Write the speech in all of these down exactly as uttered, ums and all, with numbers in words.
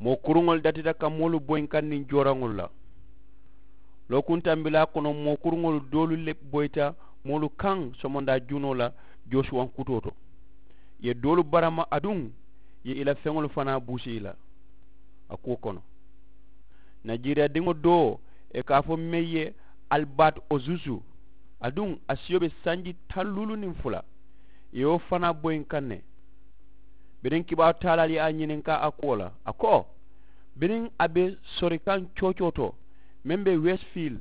Moo kuruŋolu datita ka moolu boyinkaŋ niŋ jooraŋolu la. Lookuntambilaa kono moo kuruŋolu doolu le boyita moolu kaŋ somondaa junoo la joosuwaŋ kutoo to. Ì ye doolu barama aduŋ ì ye ì la feŋolu fanaa buusi ì la a kuwo kono. Najiriyadiŋo doo ì ka a fo meŋ ye albaati ozusu, aduŋ a siyo be sanji taŋ luulu niŋ fula. Ì ye wo fanaa boyinkaŋ ne. Biriŋ kibaaru taalaalu ye a ñininkaa a kuwo la a ko, biriŋ a be sorikaŋ coocoo to meŋ be wesifil,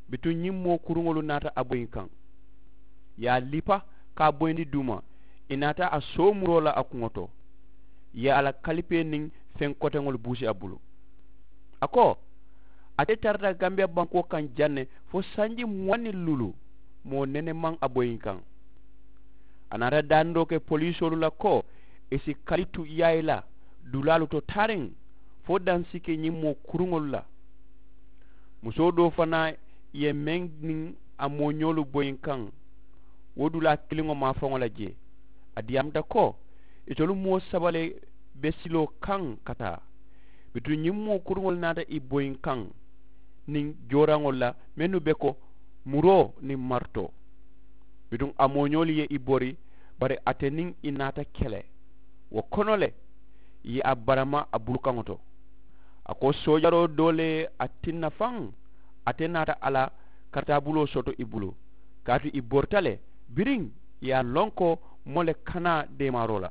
bituŋ ñiŋ moo kuruŋolu naata a boyinkaŋ. Ì ye a lipa ka a boyindi duuma. Ì naata a soomuroo la a kuŋo to. Ì ye a la kalipee niŋ feŋ koteŋolu buusi a bulu. A ko, ate tarata gambiya bankoo kaŋ jaŋ ne fo sanji muwaŋ niŋ luulu, moo nene maŋ a boyinkaŋ. A naata daaniroo ke poliisoolu la ko ì si kalitu yaayi la dulaalu to taariŋ fo daŋ si ke ñiŋ moo kuruŋolu la. Musoo doo fanaa ye meŋ niŋ a mooñoolu boyinkaŋ wo dulaa kiliŋo maafaŋo la jee. A diyaamuta ko itolu moo saba le be siloo kaŋ ka taa. Bituŋ ñiŋ moo kuruŋolu naata ì boyinkaŋ niŋ jooraŋolu la mennu be ko muroo niŋ maritoo. Bituŋ a mooñoolu ye ì bori bari ate niŋ ì naata kele. Wo kono le ì ye a barama a bulukaŋo to. A ko soojaroo doo le ye a tinna faŋ ate naata a la kartaabuloo soto ì bulu kaatu ì borita le biriŋ ì ye a loŋ ko moo le kanaa deemaaroo la.